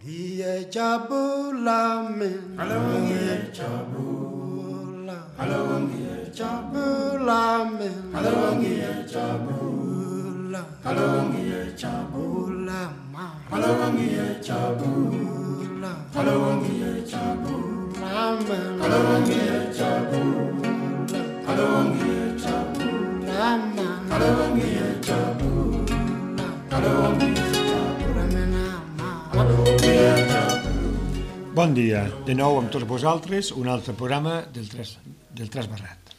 Dia Jabulamin, Halloween Jabula, Halloween Jabulamin, Halloween Jabula, Halloween Jabula, Halloween Jabula, Halloween Jabula, Halloween Jabula, Halloween Jabula, Halloween Jabula, Halloween. Bon dia, de nou amb tots vosaltres, un altre programa del Tres Barrat.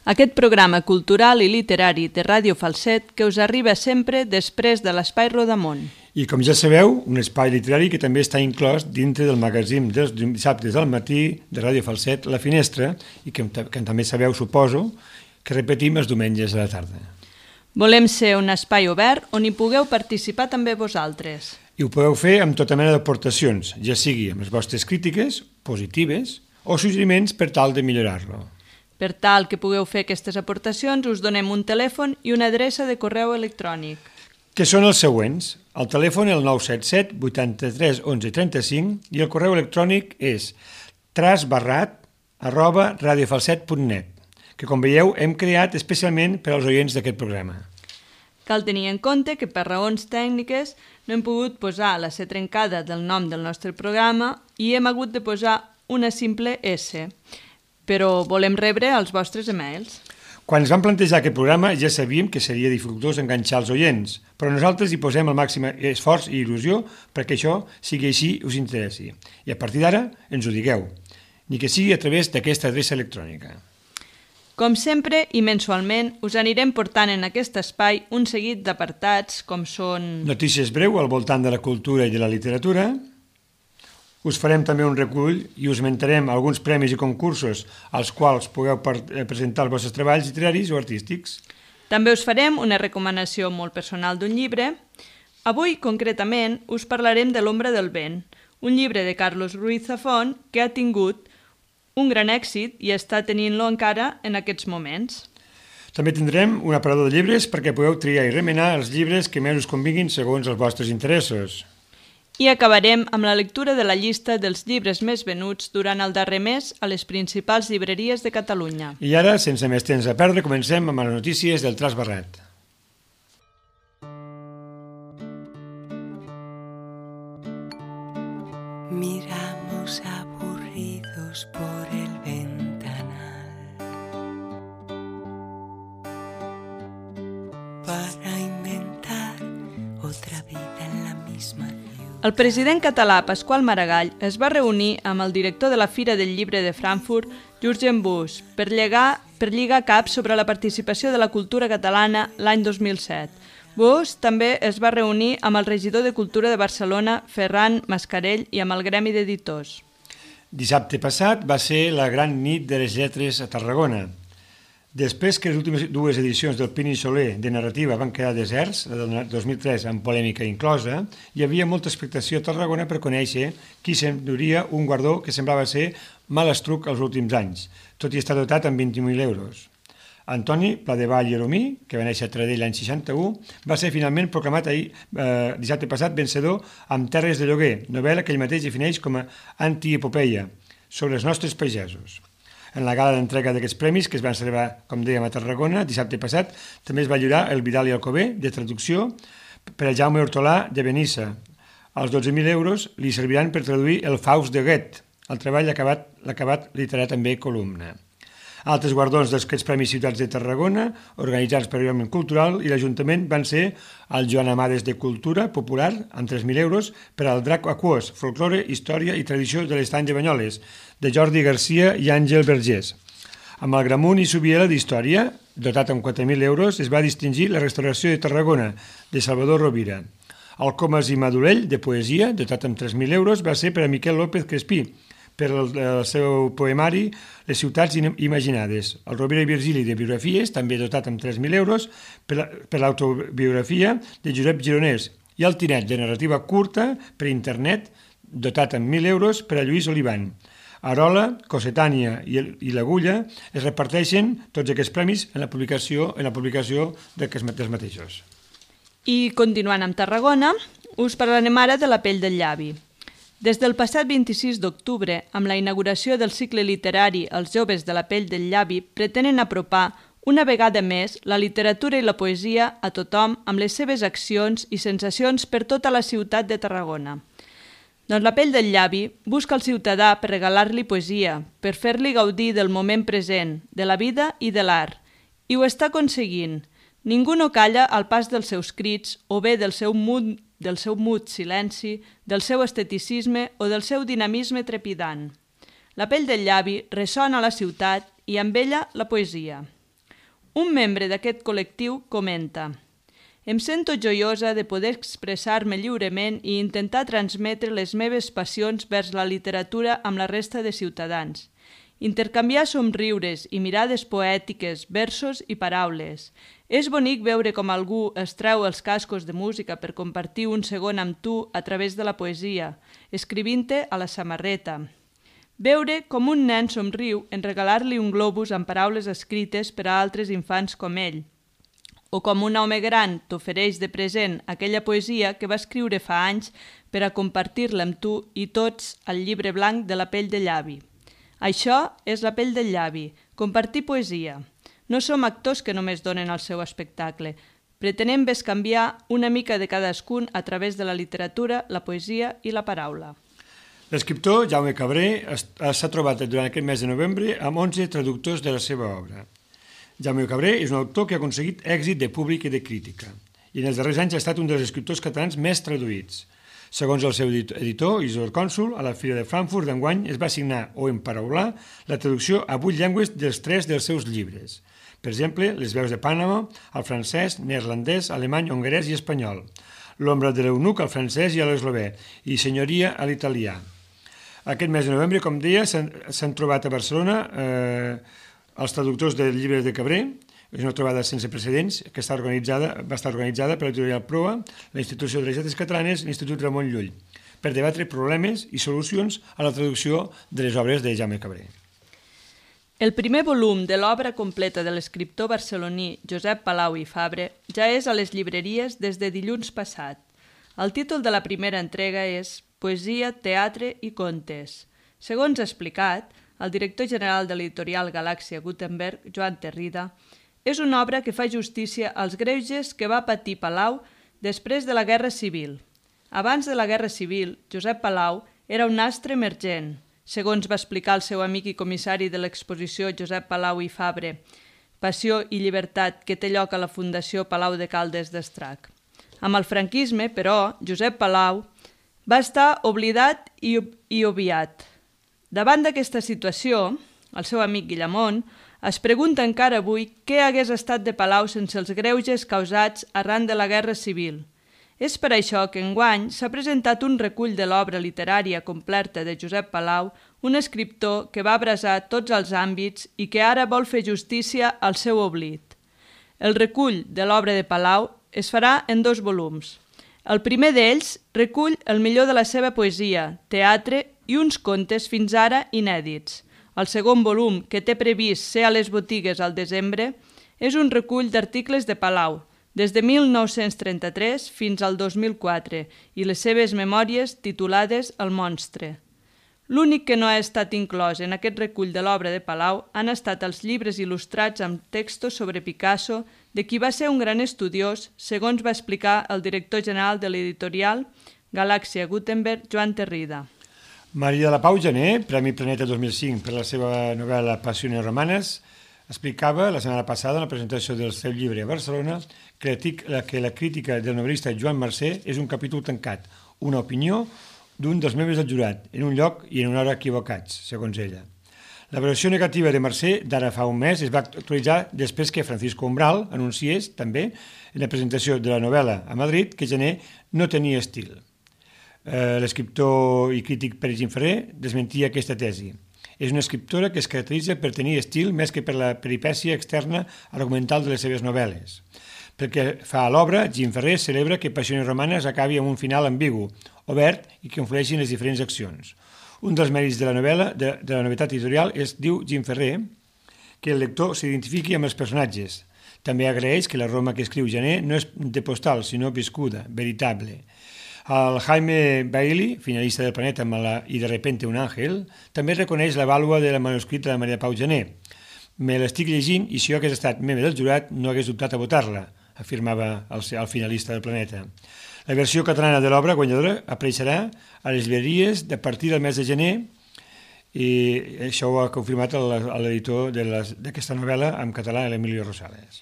Aquest programa cultural i literari de Ràdio Falset que us arriba sempre després de l'Espai Rodamont. I com ja sabeu, un espai literari que també està inclòs dintre del magazín dels dissabtes al matí de Ràdio Falset, La Finestra, i que també sabeu, suposo, que repetim els diumenges a la tarda. Volem ser un espai obert on hi pugueu participar també vosaltres. I ho podeu fer amb tota mena d'aportacions, ja sigui amb les vostres crítiques, positives, o suggeriments per tal de millorar-lo. Per tal que pugueu fer aquestes aportacions, us donem un telèfon i una adreça de correu electrònic. Que són els següents. El telèfon és el 977 83 11 35 i el correu electrònic és trasbarrat@radiofalset.net, que com veieu hem creat especialment per als oients d'aquest programa. Cal tenir en compte que per raons tècniques no hem pogut posar la C trencada del nom del nostre programa i hem hagut de posar una simple S, però volem rebre els vostres emails. Quan ens vam plantejar aquest programa ja sabíem que seria dificultós enganxar els oients, però nosaltres hi posem el màxim esforç i il·lusió perquè això sigui així i us interessi. I a partir d'ara ens ho digueu, ni que sigui a través d'aquesta adreça electrònica. Com sempre i mensualment us anirem portant en aquest espai un seguit d'apartats com són... Notícies breu al voltant de la cultura i de la literatura. Us farem també un recull i us mentarem alguns premis i concursos als quals pugueu presentar els vostres treballs literaris o artístics. També us farem una recomanació molt personal d'un llibre. Avui, concretament, us parlarem de L'ombra del vent, un llibre de Carlos Ruiz Zafón que ha tingut un gran èxit i està tenint-lo encara en aquests moments. També tindrem un aparador de llibres perquè pugueu triar i remenar els llibres que més us convinguin segons els vostres interessos. I acabarem amb la lectura de la llista dels llibres més venuts durant el darrer mes a les principals llibreries de Catalunya. I ara, sense més temps a perdre, comencem amb les notícies del Tres Barrat. Miramos aburridos por el ventanal para inventar otra vida en la misma ciudad. El president català Pasqual Maragall es va reunir amb el director de la Fira del Llibre de Frankfurt, Jürgen Busch, per lligar caps sobre la participació de la cultura catalana l'any 2007. Busch també es va reunir amb el regidor de Cultura de Barcelona, Ferran Mascarell, i amb el Gremi d'Editors. Dissabte passat va ser la gran nit de les lletres a Tarragona. Després que les últimes dues edicions del Pini Soler de narrativa van quedar deserts, la del 2003 amb polèmica inclosa, hi havia molta expectació a Tarragona per conèixer qui s'enduria un guardó que semblava ser malastruc els últims anys, tot i estar dotat amb 20.000 euros. Antoni Pladevall i Eromí, que va néixer a Taradell l'any 61, va ser finalment proclamat dissabte passat vencedor amb Terres de lloguer, novel·la que ell mateix defineix com a antiepopeia sobre els nostres pagesos. En la gala d'entrega d'aquests premis, que es van celebrar, com dèiem, a Tarragona, dissabte passat, també es va lliurar el Vidal i Alcover, de traducció, per a Jaume Hortolà de Benissa. Els 12.000 euros li serviran per traduir el Faust de Goethe, el treball l'acabat literat també columna. Altres guardons d'aquests Premis Ciutats de Tarragona, organitzats per l'Òmnium Cultural i l'Ajuntament, van ser el Joan Amades de Cultura Popular, amb 3.000 euros, per al Drac Aquós, Folklore, Història i Tradició de l'Estany de Banyoles, de Jordi Garcia i Àngel Vergés. Amb el Gramunt i Subiela d'Història, dotat amb 4.000 euros, es va distingir la Restauració de Tarragona, de Salvador Rovira. El Comas i Madolell, de Poesia, dotat amb 3.000 euros, va ser per a Miquel López Crespí, per el seu poemari Les ciutats imaginades. El Rovira i Virgili de Biografies, també dotat amb 3.000 euros, per l'autobiografia de Josep Gironès, i el Tinet de narrativa curta per internet, dotat amb 1.000 euros, per a Lluís Olivan. Arola, Cossetània i l'Agulla es reparteixen tots aquests premis en la publicació dels mateixos. I continuant amb Tarragona, us parlarem ara de La pell del llavi. Des del passat 26 d'octubre, amb la inauguració del cicle literari Els joves de la pell del llavi, pretenen apropar una vegada més la literatura i la poesia a tothom amb les seves accions i sensacions per tota la ciutat de Tarragona. Doncs la pell del llavi busca el ciutadà per regalar-li poesia, per fer-li gaudir del moment present, de la vida i de l'art. I ho està aconseguint. Ningú no calla al pas dels seus crits o bé del seu mut silenci, del seu esteticisme o del seu dinamisme trepidant. La pell del llavi ressona a la ciutat i amb ella la poesia. Un membre d'aquest col·lectiu comenta: «Em sento joiosa de poder expressar-me lliurement i intentar transmetre les meves passions vers la literatura amb la resta de ciutadans. Intercanviar somriures i mirades poètiques, versos i paraules. És bonic veure com algú es treu els cascos de música per compartir un segon amb tu a través de la poesia, escrivint-te a la samarreta. Veure com un nen somriu en regalar-li un globus amb paraules escrites per a altres infants com ell, o com un home gran t'ofereix de present aquella poesia que va escriure fa anys per a compartir-la amb tu i tots al llibre blanc de la pell de llavi. Això és la pell del llavi, compartir poesia. No som actors que només donen el seu espectacle. Pretenem bescanviar una mica de cadascun a través de la literatura, la poesia i la paraula». L'escriptor Jaume Cabré s'ha trobat durant aquest mes de novembre amb 11 traductors de la seva obra. Jaume Cabré és un autor que ha aconseguit èxit de públic i de crítica, i en els darrers anys ha estat un dels escriptors catalans més traduïts. Segons el seu editor, Isidor Cònsul, a la Fira de Frankfurt d'enguany es va signar o emparaular la traducció a 8 llengües dels 3 dels seus llibres. Per exemple, Les veus de Panama, al francès, neerlandès, alemany, hongarès i espanyol. L'ombra de l'eunuc al francès i a l'eslovè, i Senyoria a l'italià. Aquest mes de novembre, com deia, s'han trobat a Barcelona els traductors del llibre de Cabré. És una trobada sense precedents que va estar organitzada per l'editorial Proa, la Institució de les Lletres Catalanes i l'Institut Ramon Llull, per debatre problemes i solucions a la traducció de les obres de Jaume Cabré. El primer volum de l'obra completa de l'escriptor barceloní Josep Palau i Fabre ja és a les llibreries des de dilluns passat. El títol de la primera entrega és Poesia, teatre i contes. Segons ha explicat, el director general de l'editorial Galàxia Gutenberg, Joan Terrida, és una obra que fa justícia als greuges que va patir Palau després de la Guerra Civil. Abans de la Guerra Civil, Josep Palau era un astre emergent, segons va explicar el seu amic i comissari de l'exposició Josep Palau i Fabre, Passió i llibertat que té lloc a la Fundació Palau de Caldes d'Estrac. Amb el franquisme, però, Josep Palau va estar oblidat i obviat. Davant d'aquesta situació, el seu amic Guillamón es pregunta encara avui què hagués estat de Palau sense els greuges causats arran de la Guerra Civil. És per això que enguany s'ha presentat un recull de l'obra literària completa de Josep Palau, un escriptor que va abrasar tots els àmbits i que ara vol fer justícia al seu oblit. El recull de l'obra de Palau es farà en 2 volums. El primer d'ells recull el millor de la seva poesia, teatre i uns contes fins ara inèdits. El segon volum, que té previst ser a les botigues al desembre, és un recull d'articles de Palau, des de 1933 fins al 2004, i les seves memòries titulades El monstre. L'únic que no ha estat inclòs en aquest recull de l'obra de Palau han estat els llibres il·lustrats amb textos sobre Picasso, de qui va ser un gran estudiós, segons va explicar el director general de l'editorial Galàxia Gutenberg, Joan Terrida. Maria de la Pau Gené, Premi Planeta 2005 per la seva novel·la Passiones Romanes, explicava la setmana passada en la presentació del seu llibre a Barcelona que la crítica del novel·lista Joan Mercè és un capítol tancat, una opinió d'un dels membres del jurat, en un lloc i en una hora equivocats, segons ella. La versió negativa de Mercè d'ara fa un mes es va actualitzar després que Francisco Umbral anunciés, també, en la presentació de la novel·la a Madrid, que Gené no tenia estil. L'escriptor i crític Pere Gimferrer desmentia aquesta tesi. És una escriptora que es caracteritza per tenir estil més que per la peripècia externa argumental de les seves novel·les. Pel que fa a l'obra, Gimferrer celebra que Passiones Romanes acabi amb un final ambigu, obert i que influeixin les diferents accions. Un dels mèrits de la novel·la, de la novetat editorial, és, diu Gimferrer, que el lector s'identifiqui amb els personatges. També agraeix que la Roma que escriu Gené no és de postal, sinó viscuda, veritable. El Jaime Bailey, finalista del Planeta amb la I de repente un àngel, també reconeix la vàlua del manuscrit de la Maria Pau Gené. Me l'estic llegint i si jo hagués estat membre del jurat no hagués dubtat a votar-la, afirmava el finalista del Planeta. La versió catalana de l'obra guanyadora apareixerà a les llibreries a partir del mes de gener i això ho ha confirmat l'editor d'aquesta novel·la en català, l'Emilio Rosales.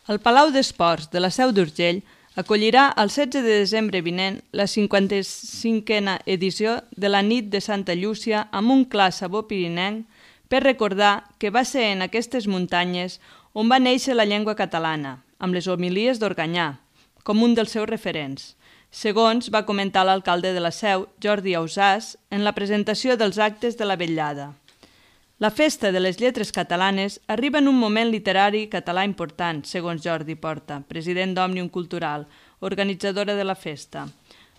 El Palau d'Esports de la Seu d'Urgell acollirà el 16 de desembre vinent la 55a edició de la Nit de Santa Llúcia amb un clar sabor pirinenc per recordar que va ser en aquestes muntanyes on va néixer la llengua catalana, amb les homilies d'Organyà, com un dels seus referents. Segons va comentar l'alcalde de la Seu, Jordi Ausàs, en la presentació dels actes de la vetllada. La Festa de les Lletres Catalanes arriba en un moment literari català important, segons Jordi Porta, president d'Òmnium Cultural, organitzadora de la festa.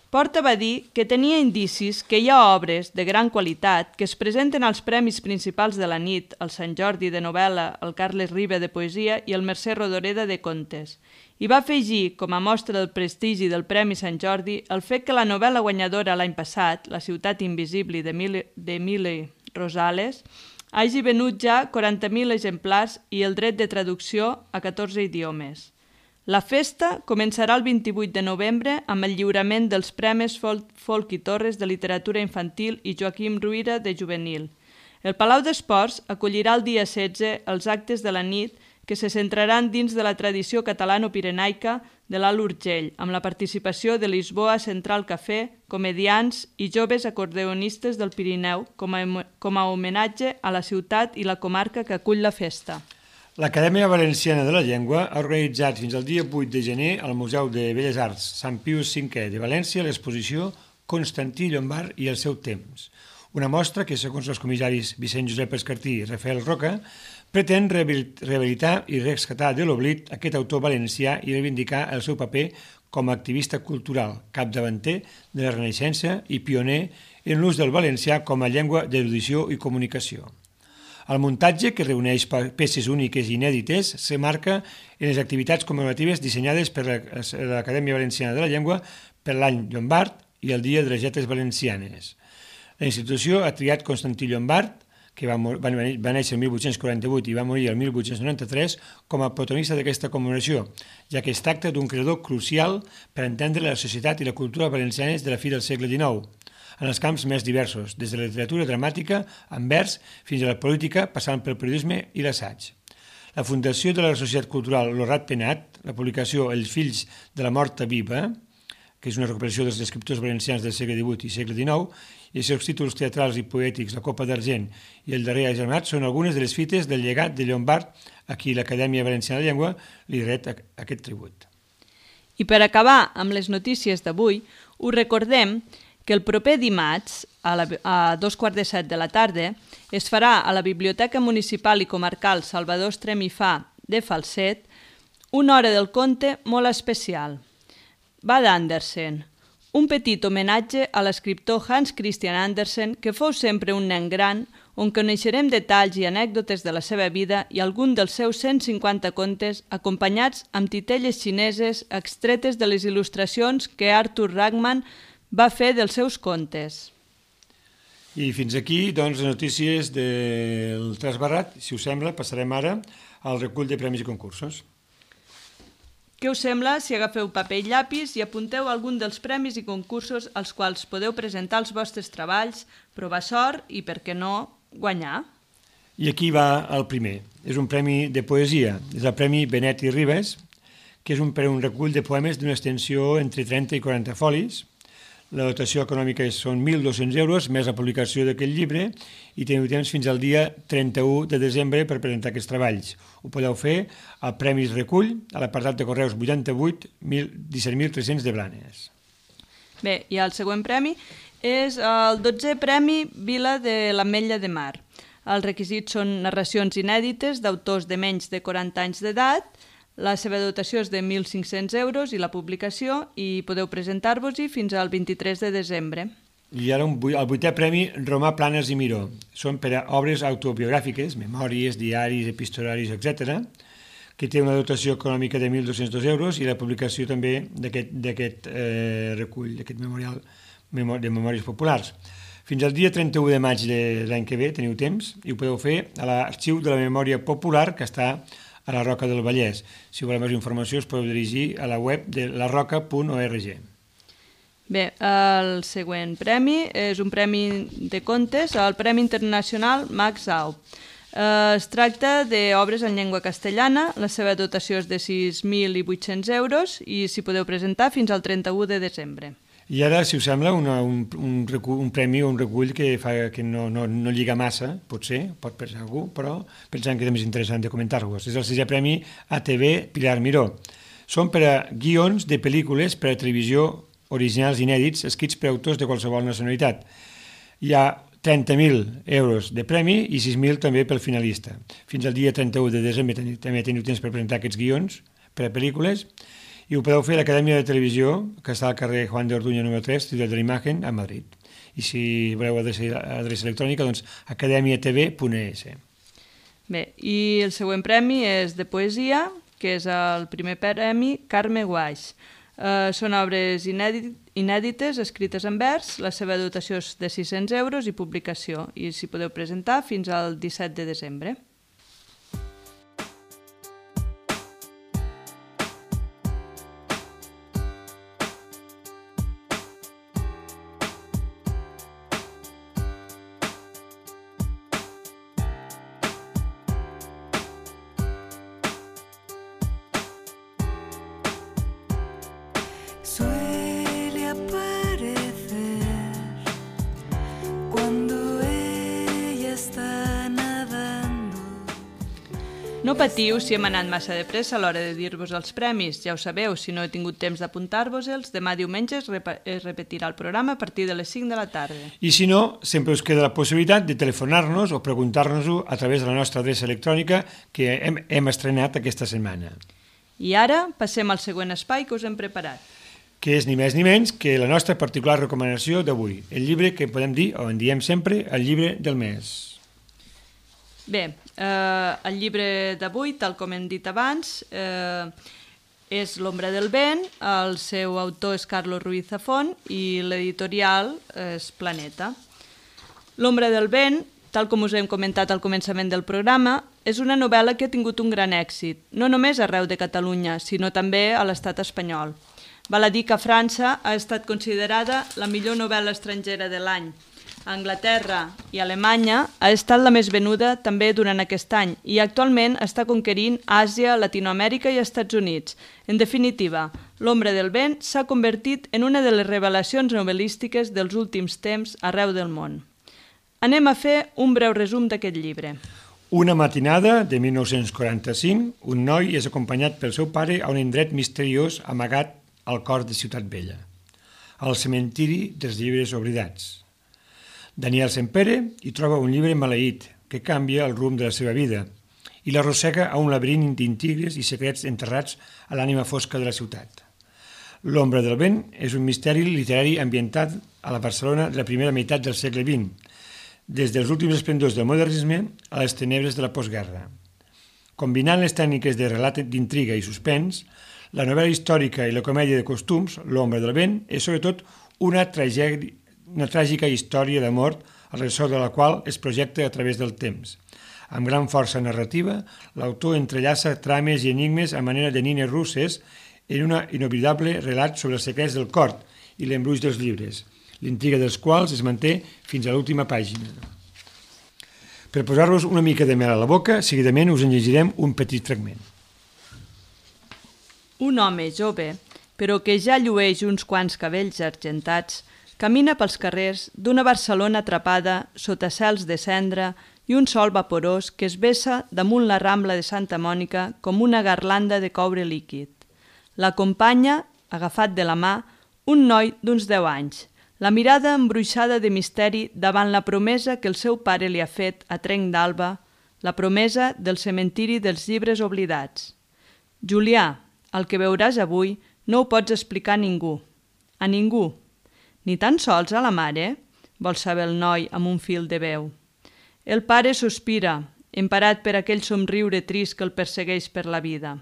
Porta va dir que tenia indicis que hi ha obres de gran qualitat que es presenten als premis principals de la nit, el Sant Jordi de novel·la, el Carles Riba de poesia i el Mercè Rodoreda de contes. I va afegir, com a mostra del prestigi del Premi Sant Jordi, el fet que la novel·la guanyadora l'any passat, La ciutat invisible d'Emili Rosales, hagi venut ja 40.000 exemplars i el dret de traducció a 14 idiomes. La festa començarà el 28 de novembre amb el lliurament dels Premis Folk i Torres de Literatura Infantil i Joaquim Ruïra de Juvenil. El Palau d'Esports acollirà el dia 16 els actes de la nit que se centraran dins de la tradició catalano-pirenaica de l'Alt Urgell, amb la participació de Lisboa Central Cafè, comediants i joves acordeonistes del Pirineu, com a homenatge a la ciutat i la comarca que acull la festa. L'Acadèmia Valenciana de la Llengua ha organitzat fins al dia 8 de gener al Museu de Belles Arts Sant Pius V de València l'exposició Constantí Llombart i el seu temps, una mostra que, segons els comissaris Vicent Josep Escartí i Rafael Roca, pretén rehabilitar i rescatar de l'oblit aquest autor valencià i reivindicar el seu paper com a activista cultural, capdavanter de la Renaixença i pioner en l'ús del valencià com a llengua d'erudició i comunicació. El muntatge, que reuneix peces úniques i inèdites, s'emmarca en les activitats commemoratives dissenyades per l'Acadèmia Valenciana de la Llengua per l'any Llombart i el Dia de les Lletres Valencianes. La institució ha triat Constantí Llombart, que va néixer el 1848 i va morir el 1893, com a protagonista d'aquesta commemoració, ja que es tracta d'un creador crucial per entendre la societat i la cultura valencianes de la fi del segle XIX, en els camps més diversos, des de la literatura dramàtica, en vers, fins a la política, passant pel periodisme i l'assaig. La Fundació de la Societat Cultural Lorat Penat, la publicació Els fills de la morta viva, que és una recuperació dels escriptors valencians del segle XVIII i segle XIX, i els seus títols teatrals i poètics, La Copa d'Argent i El darrer agermanat, són algunes de les fites del llegat de Llombart a qui l'Acadèmia Valenciana de la Llengua li ret aquest tribut. I per acabar amb les notícies d'avui, us recordem que el proper dimarts, a 2:45 de la tarda, es farà a la Biblioteca Municipal i Comarcal Salvador Estrem i Fa de Falset una hora del conte molt especial. Va d'Andersen, un petit homenatge a l'escriptor Hans Christian Andersen, que fou sempre un nen gran, on coneixerem detalls i anècdotes de la seva vida i algun dels seus 150 contes acompanyats amb titelles xineses extretes de les il·lustracions que Arthur Ragman va fer dels seus contes. I fins aquí, doncs, les notícies del Trasbarrat. Si us sembla, passarem ara al recull de premis i concursos. Què us sembla si agafeu paper i llapis i apunteu algun dels premis i concursos als quals podeu presentar els vostres treballs, provar sort i, per què no, guanyar? I aquí va el primer. És un premi de poesia. És el Premi Benet i Ribes, que és un recull de poemes d'una extensió entre 30 i 40 folis. La dotació econòmica són 1.200 euros, més la publicació d'aquest llibre, i teniu temps fins al dia 31 de desembre per presentar aquests treballs. Ho podeu fer al Premis Recull, a l'apartat de correus 88 17.300 de Blanes. Bé, i el següent premi és el 12è Premi Vila de l'Ametlla de Mar. Els requisits són narracions inèdites d'autors de menys de 40 anys d'edat. La seva dotació és de 1.500 euros i la publicació, i podeu presentar-vos-hi fins al 23 de desembre. I ara el 8è Premi Romà Planes i Miró. Són per a obres autobiogràfiques, memòries, diaris, epistolaris, etc., que té una dotació econòmica de 1.202 euros, i la publicació també d'aquest recull, d'aquest memorial de memòries populars. Fins al dia 31 de maig de l'any que ve teniu temps i ho podeu fer a l'Arxiu de la Memòria Popular, que està a la Roca del Vallès. Si voleu més informació us podeu dirigir a la web de larroca.org. Bé, el següent premi és un premi de contes, el Premi Internacional Max Au. Es tracta d'obres en llengua castellana, la seva dotació és de 6.800 euros i s'hi podeu presentar fins al 31 de desembre. I ara, si us sembla, un premi o un recull que no lliga massa, potser, pot pensar algú, però pensant que és més interessant de comentar-vos. És el 6è Premi ATV Pilar Miró. Són per a guions de pel·lícules per a televisió originals inèdits escrits per autors de qualsevol nacionalitat. Hi ha 30.000 euros de premi i 6.000 també pel finalista. Fins al dia 31 de desembre també teniu temps per presentar aquests guions per a pel·lícules i ho podeu fer a l'Acadèmia de Televisió, que està al carrer Juan de Orduña número 3, Ciutat de la Imagen, a Madrid. I si voleu adreça electrònica, doncs academiatv.es. Bé, i el següent premi és de poesia, que és el primer premi Carme Guaix. Són obres inèdites, escrites en vers, la seva dotació és de 600 euros i publicació, i s'hi podeu presentar fins al 17 de desembre. Suele aparecer cuando ella está nadando. No patiu si hem anat massa de pressa a l'hora de dir-vos els premis. Ja ho sabeu, si no he tingut temps d'apuntar-vos-els, demà diumenge es repetirà el programa a partir de les 5 de la tarda. I si no, sempre us queda la possibilitat de telefonar-nos o preguntar-nos-ho a través de la nostra adreça electrònica que hem estrenat aquesta setmana. I ara passem al següent espai que us hem preparat, que és ni més ni menys que la nostra particular recomanació d'avui, el llibre que podem dir, o en diem sempre, el llibre del mes. Bé, el llibre d'avui, tal com hem dit abans, és L'ombra del vent, el seu autor és Carlos Ruiz Zafón i l'editorial és Planeta. L'ombra del vent, tal com us hem comentat al començament del programa, és una novel·la que ha tingut un gran èxit, no només arreu de Catalunya, sinó també a l'estat espanyol. Val a dir que a França ha estat considerada la millor novel·la estrangera de l'any. A Anglaterra i Alemanya ha estat la més venuda també durant aquest any i actualment està conquerint Àsia, Latinoamèrica i Estats Units. En definitiva, L'ombra del vent s'ha convertit en una de les revelacions novel·lístiques dels últims temps arreu del món. Anem a fer un breu resum d'aquest llibre. Una matinada de 1945, un noi és acompanyat pel seu pare a un indret misteriós amagat al cor de Ciutat Vella, al cementiri dels llibres oblidats. Daniel Sempere hi troba un llibre maleït que canvia el rumb de la seva vida i l'arrossega a un laberint d'intrigues i secrets enterrats a l'ànima fosca de la ciutat. L'ombra del vent és un misteri literari ambientat a la Barcelona de la primera meitat del segle XX, des dels últims esplendors del modernisme a les tenebres de la postguerra. Combinant les tècniques de relat d'intriga i suspens, la novel·la històrica i la comèdia de costums, L'ombra del vent, és sobretot una tràgica història d'amor al ressò de la qual es projecta a través del temps. Amb gran força narrativa, l'autor entrellaça trames i enigmes a manera de nines russes en un inoblidable relat sobre els secrets del cor i l'embruix dels llibres, l'intriga dels quals es manté fins a l'última pàgina. Per posar-vos una mica de mel a la boca, seguidament us en llegirem un petit fragment. Un home jove, però que ja llueix uns quants cabells argentats, camina pels carrers d'una Barcelona atrapada sota cels de cendra i un sol vaporós que es vessa damunt la Rambla de Santa Mònica com una garlanda de coure líquid. L'acompanya, agafat de la mà, un noi d'uns 10 anys, la mirada embruixada de misteri davant la promesa que el seu pare li ha fet a trenc d'alba, la promesa del cementiri dels llibres oblidats. Julià, el que veuràs avui no ho pots explicar a ningú. A ningú. Ni tan sols a la mare? Vol saber el noi amb un fil de veu. El pare sospira, emparat per aquell somriure trist que el persegueix per la vida.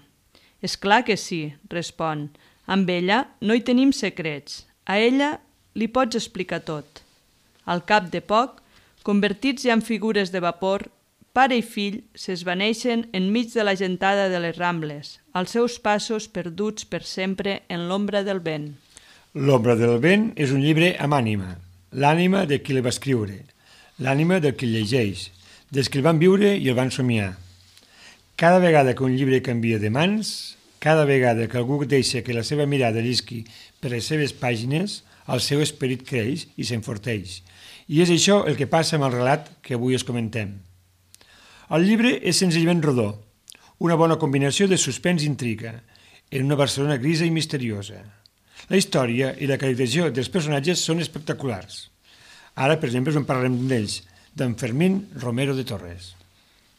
És clar que sí, respon. Amb ella no hi tenim secrets. A ella li pots explicar tot. Al cap de poc, convertits ja en figures de vapor, pare i fill s'esvaneixen enmig de la gentada de les Rambles, als seus passos perduts per sempre en l'ombra del vent. L'ombra del vent és un llibre amb ànima, l'ànima de qui el va escriure, l'ànima del qui el llegeix, dels que el van viure i el van somiar. Cada vegada que un llibre canvia de mans, cada vegada que algú deixa que la seva mirada llisqui per les seves pàgines, el seu esperit creix i s'enforteix. I és això el que passa amb el relat que avui us comentem. El llibre és senzillament rodó, una bona combinació de suspens i intriga, en una Barcelona grisa i misteriosa. La història i la caracterització dels personatges són espectaculars. Ara, per exemple, us en parlarem d'ells, d'en Fermín Romero de Torres.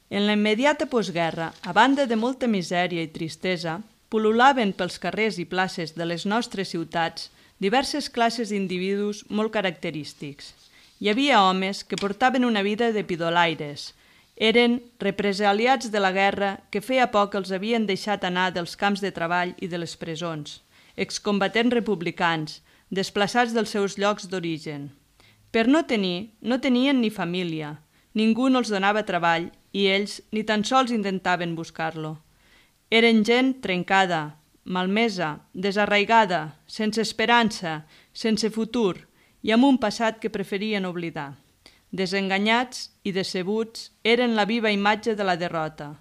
En la immediata postguerra, a banda de molta misèria i tristesa, pul·lulaven pels carrers i places de les nostres ciutats diverses classes d'individus molt característics. Hi havia homes que portaven una vida de pidolaires. Eren represaliats de la guerra que feia poc els havien deixat anar dels camps de treball i de les presons, excombatents republicans, desplaçats dels seus llocs d'origen. Per no tenien ni família, ningú no els donava treball i ells ni tan sols intentaven buscar-lo. Eren gent trencada, malmesa, desarraigada, sense esperança, sense futur i amb un passat que preferien oblidar. Desenganyats i decebuts, eren la viva imatge de la derrota.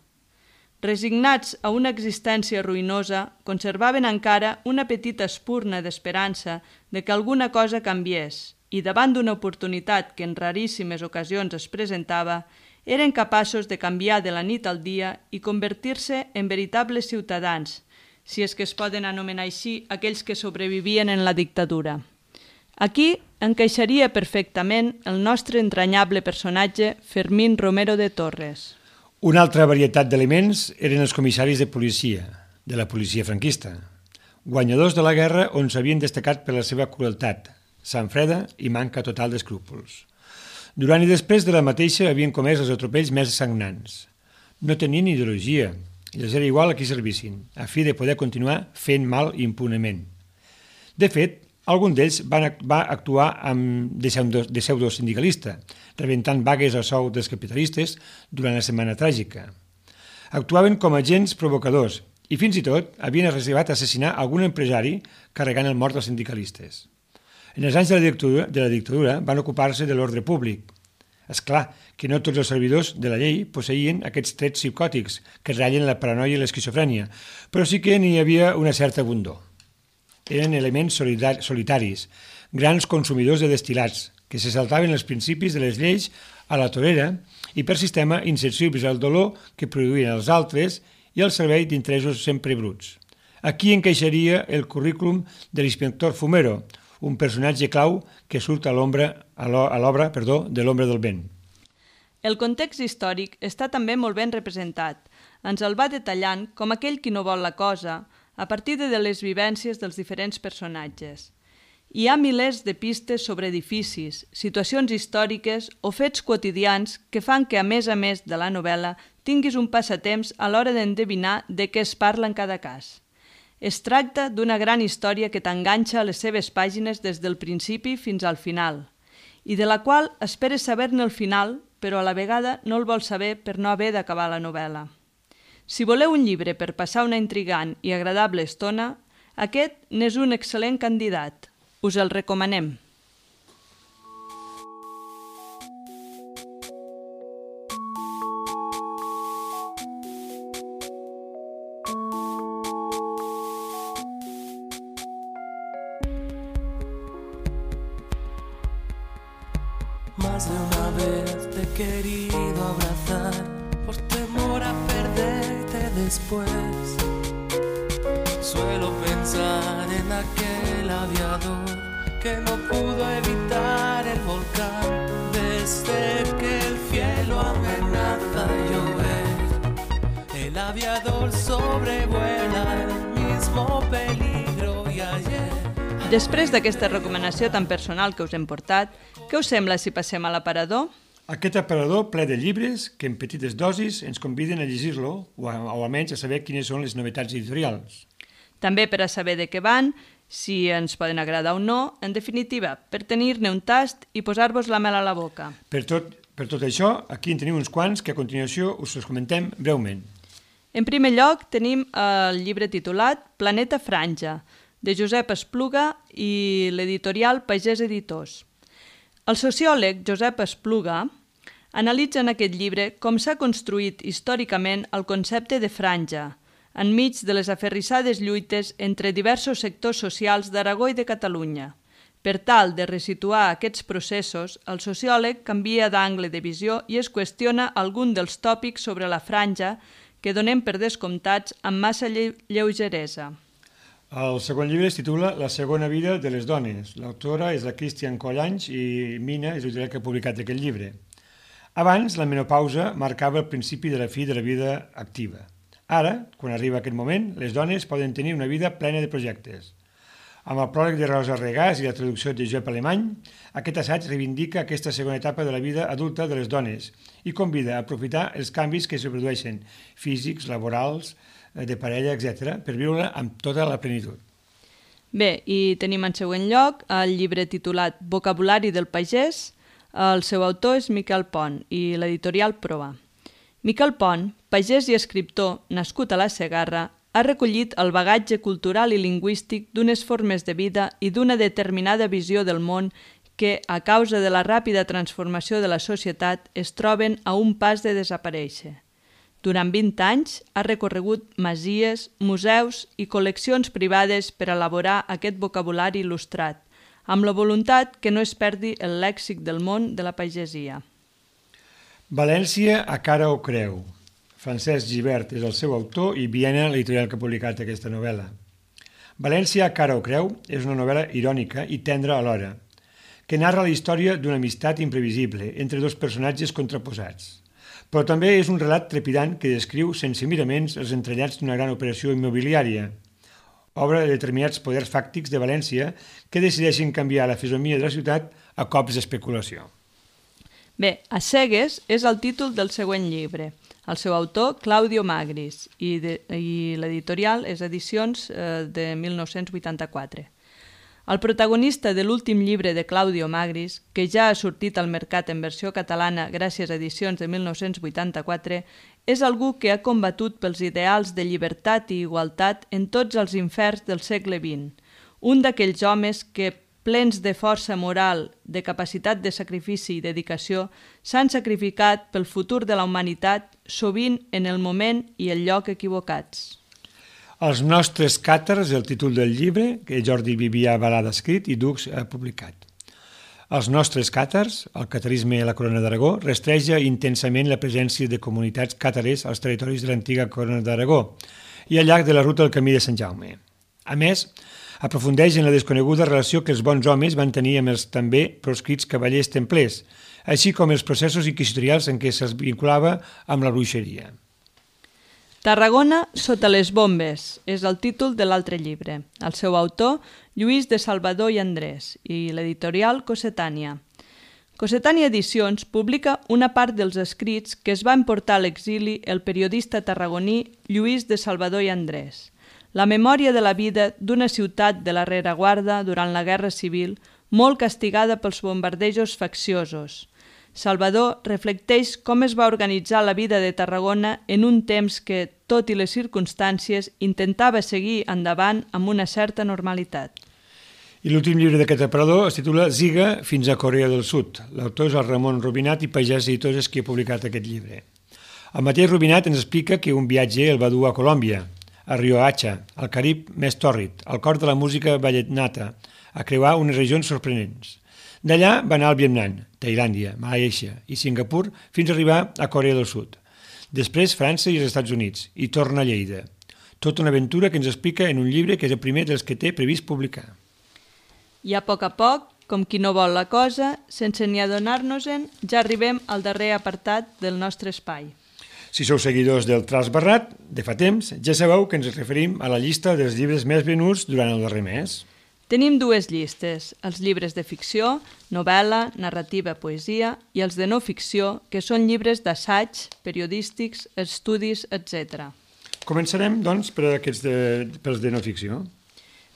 Resignats a una existència ruïnosa, conservaven encara una petita espurna d'esperança de que alguna cosa canviés i davant d'una oportunitat que en raríssimes ocasions es presentava, eren capaços de canviar de la nit al dia i convertir-se en veritables ciutadans, si és que es poden anomenar així aquells que sobrevivien en la dictadura. Aquí encaixaria perfectament el nostre entranyable personatge Fermín Romero de Torres. Una altra varietat d'elements eren els comissaris de la policia franquista, guanyadors de la guerra on s'havien destacat per la seva crueltat, sang freda i manca total d'escrúpols. Durant i després de la mateixa havien comès els atropells més sagnants. No tenien ideologia, i els era igual a qui servissin, a fi de poder continuar fent mal impunement. De fet, algun d'ells va actuar de pseudosindicalista, rebentant vagues a sou dels capitalistes durant la Setmana Tràgica. Actuaven com agents provocadors i fins i tot havien arribat a assassinar algun empresari carregant el mort dels sindicalistes. En els anys de la dictadura van ocupar-se de l'ordre públic. És clar que no tots els servidors de la llei posseïen aquests trets psicòtics que ratllen la paranoia i l'esquizofrènia, però sí que n'hi havia una certa abundor. Eren elements solitaris, grans consumidors de destilats, que se saltaven els principis de les lleis a la torera i per sistema insensibles al dolor que produïen els altres i al servei d'interessos sempre bruts. Aquí encaixaria el currículum de l'inspector Fumero, un personatge clau que surt a l'obra de l'Ombra del vent. El context històric està també molt ben representat. Ens el va detallant com aquell qui no vol la cosa, a partir de les vivències dels diferents personatges. Hi ha milers de pistes sobre edificis, situacions històriques o fets quotidians que fan que, a més de la novel·la, tinguis un passatemps a l'hora d'endevinar de què es parla en cada cas. Es tracta d'una gran història que t'enganxa a les seves pàgines des del principi fins al final, i de la qual esperes saber-ne el final, però a la vegada no el vols saber per no haver d'acabar la novel·la. Si voleu un llibre per passar una intrigant i agradable estona, aquest n'és un excel·lent candidat. Us el recomanem. Más de una vez te he querido abrazar por temor a perderte después. Suelo pensar en aquel aviador que no pudo evitar el volcán desde que el cielo amenaza a llover. El aviador sobrevuela el mismo peligro y ayer. Després d'aquesta recomanació tan personal que us hem portat, què us sembla si passem a l'aparador? Aquest aparador ple de llibres que en petites dosis ens conviden a llegir-lo o almenys a saber quines són les novetats editorials. També per a saber de què van, si ens poden agradar o no, en definitiva, per tenir-ne un tast i posar-vos la mel a la boca. Per tot això, aquí en tenim uns quants que a continuació us els comentem breument. En primer lloc tenim el llibre titulat Planeta Franja, de Josep Espluga i l'editorial Pagès Editors. El sociòleg Josep Espluga analitza en aquest llibre com s'ha construït històricament el concepte de franja, enmig de les aferrissades lluites entre diversos sectors socials d'Aragó i de Catalunya. Per tal de resituar aquests processos, el sociòleg canvia d'angle de visió i es qüestiona algun dels tòpics sobre la franja que donem per descomptats amb massa lleugeresa. El segon llibre es titula La segona vida de les dones. L'autora és la Cristian Collanys i Mina és l'editorial que ha publicat aquest llibre. Abans, la menopausa marcava el principi de la fi de la vida activa. Ara, quan arriba aquest moment, les dones poden tenir una vida plena de projectes. Amb el pròleg de Rosa Regàs i la traducció de Josep Alemany, aquest assaig reivindica aquesta segona etapa de la vida adulta de les dones i convida a aprofitar els canvis que se produeixen, físics, laborals, de parella, etc., per viure amb tota la plenitud. Bé, i tenim en següent lloc el llibre titulat Vocabulari del pagès. El seu autor és Miquel Pont i l'editorial Proa. Miquel Pont, pagès i escriptor nascut a la Segarra, ha recollit el bagatge cultural i lingüístic d'unes formes de vida i d'una determinada visió del món que, a causa de la ràpida transformació de la societat, es troben a un pas de desaparèixer. Durant 20 anys ha recorregut masies, museus i col·leccions privades per elaborar aquest vocabulari il·lustrat, amb la voluntat que no es perdi el lèxic del món de la pagesia. València a cara o creu. Francesc Gibert és el seu autor i Viena l'editorial que ha publicat aquesta novel·la. València a cara o creu és una novel·la irònica i tendra alhora, que narra la història d'una amistat imprevisible entre dos personatges contraposats. Però també és un relat trepidant que descriu sense miraments els entrellats d'una gran operació immobiliària, obra de determinats poders fàctics de València que decideixen canviar la fisonomia de la ciutat a cops d'especulació. Bé, A cegues és el títol del següent llibre. El seu autor, Claudio Magris, i l'editorial és Edicions de 1984. El protagonista de l'últim llibre de Claudio Magris, que ja ha sortit al mercat en versió catalana gràcies a Edicions de 1984, és algú que ha combatut pels ideals de llibertat i igualtat en tots els inferns del segle XX. Un d'aquells homes que, plens de força moral, de capacitat de sacrifici i dedicació, s'han sacrificat pel futur de la humanitat, sovint en el moment i el lloc equivocats. Els nostres càtars, el títol del llibre, que Jordi Vivià Balada ha escrit i Dux ha publicat. Els nostres càtars, el catarisme a la Corona d'Aragó, rastreja intensament la presència de comunitats càtares als territoris de l'antiga Corona d'Aragó i al llarg de la ruta del Camí de Sant Jaume. A més, aprofundeix en la desconeguda relació que els bons homes van tenir amb els també proscrits cavallers templers, així com els processos inquisitorials en què se'ls vinculava amb la bruixeria. Tarragona sota les bombes és el títol de l'altre llibre. El seu autor, Lluís de Salvador i Andrés, i l'editorial Cossetània. Cossetània Edicions publica una part dels escrits que es va emportar a l'exili el periodista tarragoní Lluís de Salvador i Andrés. La memòria de la vida d'una ciutat de la rereguarda durant la Guerra Civil, molt castigada pels bombardejos facciosos. Salvador reflecteix com es va organitzar la vida de Tarragona en un temps que, tot i les circumstàncies, intentava seguir endavant amb una certa normalitat. I l'últim llibre d'aquest aparador es titula Ziga fins a Corea del Sud. L'autor és el Ramon Rubinat i Pagès Editors és qui ha publicat aquest llibre. El mateix Rubinat ens explica que un viatge el va dur a Colòmbia, a Riohacha, al Carib més tòrrid, al cor de la música vallenata, a creuar unes regions sorprenents. D'allà va anar al Vietnam, Tailàndia, Malàisia i Singapur fins a arribar a Corea del Sud. Després França i els Estats Units i torna a Lleida. Tota una aventura que ens explica en un llibre que és el primer dels que té previst publicar. I a poc, com qui no vol la cosa, sense ni adonar-nos-en, ja arribem al darrer apartat del nostre espai. Si sou seguidors del Tras Barrat, de fa temps, ja sabeu que ens referim a la llista dels llibres més venuts durant el darrer mes. Tenim dues llistes, els llibres de ficció, novel·la, narrativa, poesia, i els de no ficció, que són llibres d'assaig, periodístics, estudis, etc. Començarem, doncs, pels de no ficció.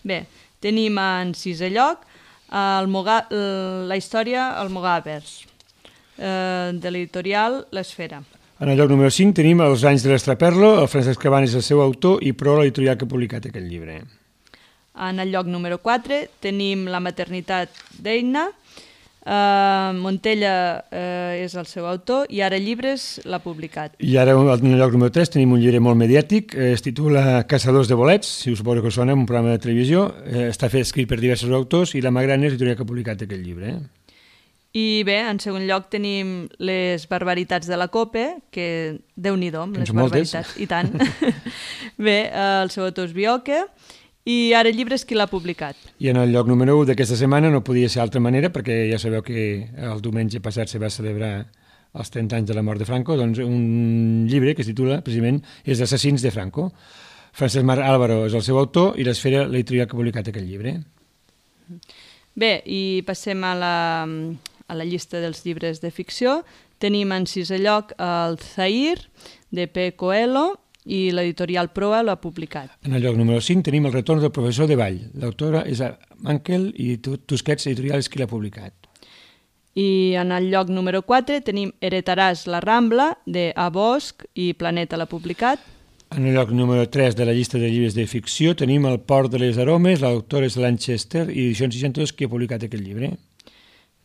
Bé, tenim en sisè lloc la història Almogàvers, de l'editorial L'Esfera. En el lloc número 5 tenim Els anys de l'Estraperlo, el Francesc Cabanes és el seu autor i Pro, l'editorial que ha publicat aquest llibre. En el lloc número 4 tenim La maternitat d'Eina, Montella és el seu autor i Ara Llibres l'ha publicat. I ara en el lloc número 3 tenim un llibre molt mediàtic, es titula Caçadors de bolets, si us suposo que sona, un programa de televisió, està escrit per diversos autors i La Magrana és l'editorial que ha publicat aquest llibre. I bé, en segon lloc tenim Les barbaritats de la Cope, que Déu-n'hi-do, les barbaritats, i tant. Bé, el seu autor és Bioque, i Ara Llibres qui l'ha publicat. I en el lloc número 1 d'aquesta setmana no podia ser d'altra manera, perquè ja sabeu que el diumenge passat se va celebrar els 30 anys de la mort de Franco, doncs un llibre que es titula, precisament, és Assassins de Franco. Francesc Marc Álvaro és el seu autor i l'Esfera, l'editorial que ha publicat aquest llibre. Bé, i passem a la llista dels llibres de ficció. Tenim en sisè lloc el Zahir, de P. Coelho, i l'editorial Proa l'ha publicat. En el lloc número 5 tenim El retorn del professor de ball. L'autora és Mankel i Tusquets Editorial és qui l'ha publicat. I en el lloc número 4 tenim Heretaràs la Rambla, de A. Bosch i Planeta l'ha publicat. En el lloc número 3 de la llista de llibres de ficció tenim El port de les aromes, l'autora és Lanchester i Edicions 62 qui ha publicat aquest llibre.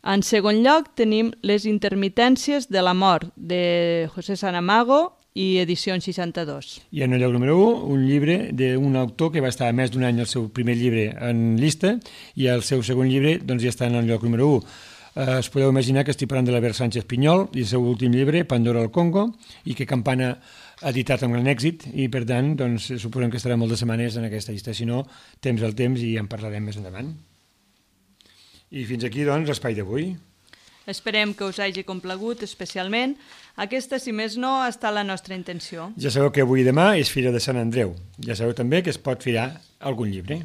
En segon lloc tenim Les intermitències de la mort, de José Saramago i Edicions 62. I en el lloc número 1, un llibre d'un autor que va estar més d'un any el seu primer llibre en llista i el seu segon llibre doncs, ja està en el lloc número 1. Es podeu imaginar que estic parlant de l'Albert Sánchez Pinyol i el seu últim llibre, Pandora al Congo, i que Campana ha editat amb gran èxit i per tant doncs, suposem que estarà moltes setmanes en aquesta llista. Si no, temps al temps i en parlarem més endavant. I fins aquí, doncs, l'espai d'avui. Esperem que us hagi complagut especialment. Aquesta, si més no, ha estat la nostra intenció. Ja sabeu que avui i demà és Fira de Sant Andreu. Ja sabeu també que es pot firar algun llibre.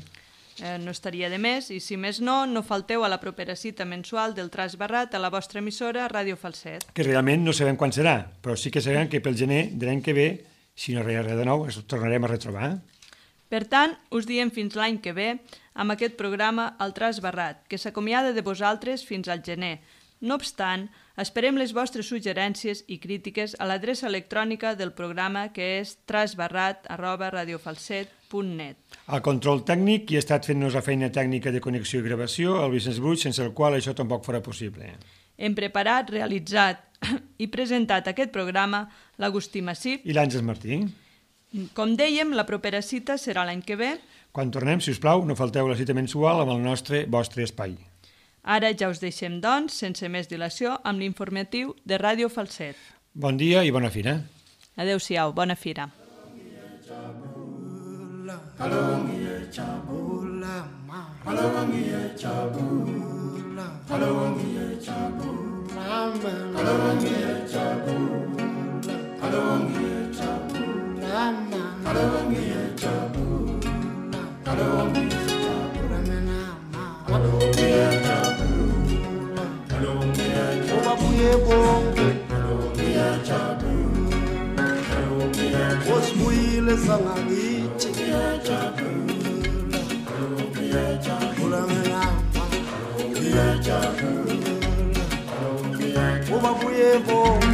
No estaria de més i, si més no, no falteu a la propera cita mensual del Tras Barrat a la vostra emissora Ràdio Falset. Que realment no sabem quan serà, però sí que sabem que pel gener de l'any que ve, si no res de nou, ens tornarem a retrobar. Per tant, us diem fins l'any que ve amb aquest programa El Tras Barrat, que s'acomiada de vosaltres fins al gener. No obstant, esperem les vostres suggerències i crítiques a l'adreça electrònica del programa, que és trasbarrat@radiofalset.net. El control tècnic, qui ha estat fent-nos la feina tècnica de connexió i gravació, el Vicenç Bruig, sense el qual això tampoc farà possible. Hem preparat, realitzat i presentat aquest programa l'Agustí Massip I l'Àngels Martí. Com dèiem, la propera cita serà l'any que ve. Quan tornem, si us plau, no falteu la cita mensual amb el vostre espai. Ara ja us deixem, doncs, sense més dilació, amb l'informatiu de Ràdio Falset. Bon dia i bona fira. Adéu-siau, bona fira. Osibuyile sangakithi ubabuye bonke